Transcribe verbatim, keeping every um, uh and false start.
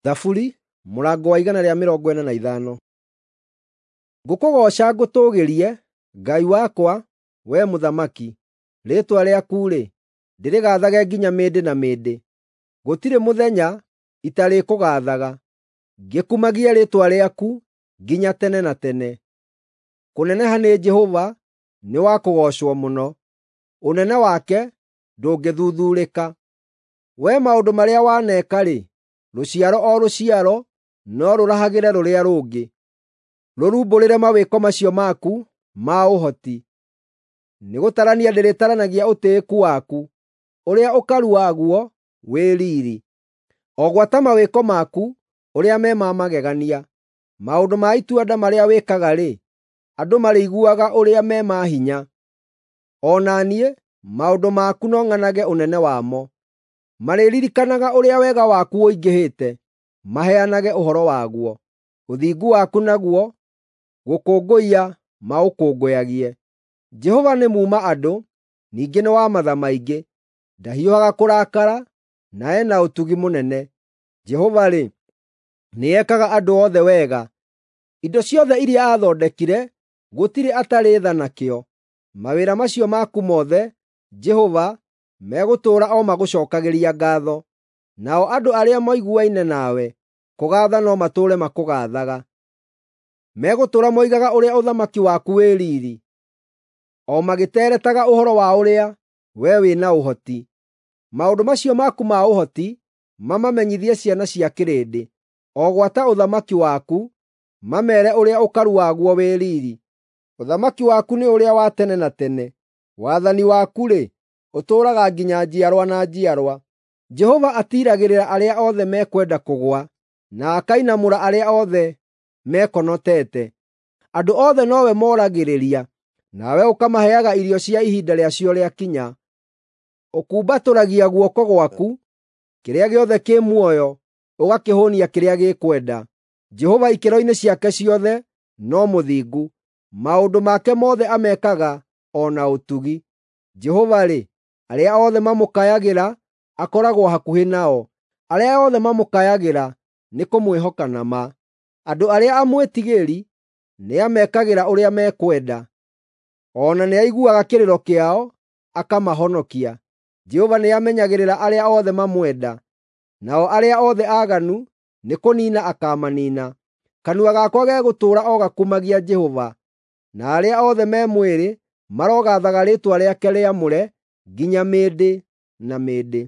Thaburi mũrango wa igana rĩa mĩrongo ĩna na ithano. Ngũkũgooca ngũtũũgĩrie, Ngai wakwa, wee Mũthamaki; rĩĩtwa rĩaku-rĩ, ndĩrĩgaathage nginya mĩndĩ na mĩndĩ. Gũtirĩ mũthenya itarĩkũgaathaga, ngĩkumagie rĩĩtwa rĩaku nginya tene na tene. Kũneneha nĩ Jehova nĩ wa kũgoocwo mũno; ũnene wake ndũngĩthuthuurĩka. Wee maũndũ marĩa waneka-rĩ, rũciaro o rũciaro no rũrahagĩre rũrĩa rũngĩ, rũrumbũrĩre mawĩko macio maku ma ũhoti. Nĩgũtarania ndĩrĩtaranagia ũtĩĩku waku, ũrĩa ũkaru waguo wĩ riiri, o gwata mawĩko maku ũrĩa me ma magegania. Maũndũ ma itua-nda marĩa wĩkaga-rĩ, andũ marĩiguaga ũrĩa me ma hinya. O na niĩ maũndũ maku no ng'anage ũnene wamo. Marĩririkanaga ũrĩa wega waku ũingĩhĩte, maheanage ũhoro waguo. Ũthingu waku naguo gũkũngũiya maũkũngũyagie. Jehova nĩ muuma-andũ, ningĩ nĩ wa matha maingĩ; ndahiũhaga kũrakara, na e na ũtugi mũnene. Jehova-rĩ, nĩekaga andũ othe wega; indo ciothe iria aathondekire gũtirĩ atarĩ tha nakĩo. Mawĩra macio maku mothe, Jehova, megũtũũra o magũcookagĩria ngaatho. Nao andũ arĩa moiguaine nawe, kũgaatha no matũũre makũgaathaga. Megũtũũra moigaga ũrĩa ũthamaki waku wĩ riiri, o magĩteeretaga ũhoro wa ũrĩa wee wĩ na ũhoti. Maũndũ macio maku ma ũhoti mamamenyithie ciana cia kĩrĩndĩ, o gwata ũthamaki waku, mameere ũrĩa ũkaru waguo wĩ riiri. Ũthamaki waku nĩ ũrĩa wa tene na tene; wathani waku-rĩ, ũtũũraga nginya njiarwa na njiarwa. Jehova atiiragĩrĩra arĩa othe mekwenda kũgũa, na akainamũra arĩa othe mekonotete. Andũ othe nowe moragĩrĩria, nawe ũkamaheaga irio cia ihinda rĩacio rĩakinya. Ũkumbatũragia guoko gwaku, kĩrĩa gĩothe kĩ muoyo ũgakĩhũũnia kĩrĩa gĩkwenda. Jehova ikĩro-inĩ ciake ciothe no mũthingu, maũndũ make mothe amekaga o na ũtugi. Jehova-rĩ, arĩa othe mamũkayagĩra akoragwo hakuhĩ nao, arĩa othe mamũkayagĩra nĩ kũmwĩhoka na ma. Andũ arĩa amwĩtigĩri nĩamekagĩra ũrĩa mekwenda, o na nĩaiguaga kĩrĩro kĩao akamahonokia. Jehova nĩamenyagĩrĩra arĩa othe mamwenda, nao arĩa othe aaganu nĩkũniina akaamaniina. Kanua gakwa gegũtũũra o gakumagia Jehova, na arĩa othe me mwĩrĩ marogaathaga rĩĩtwa rĩake rĩamũre nginya mĩndĩ na mĩndĩ.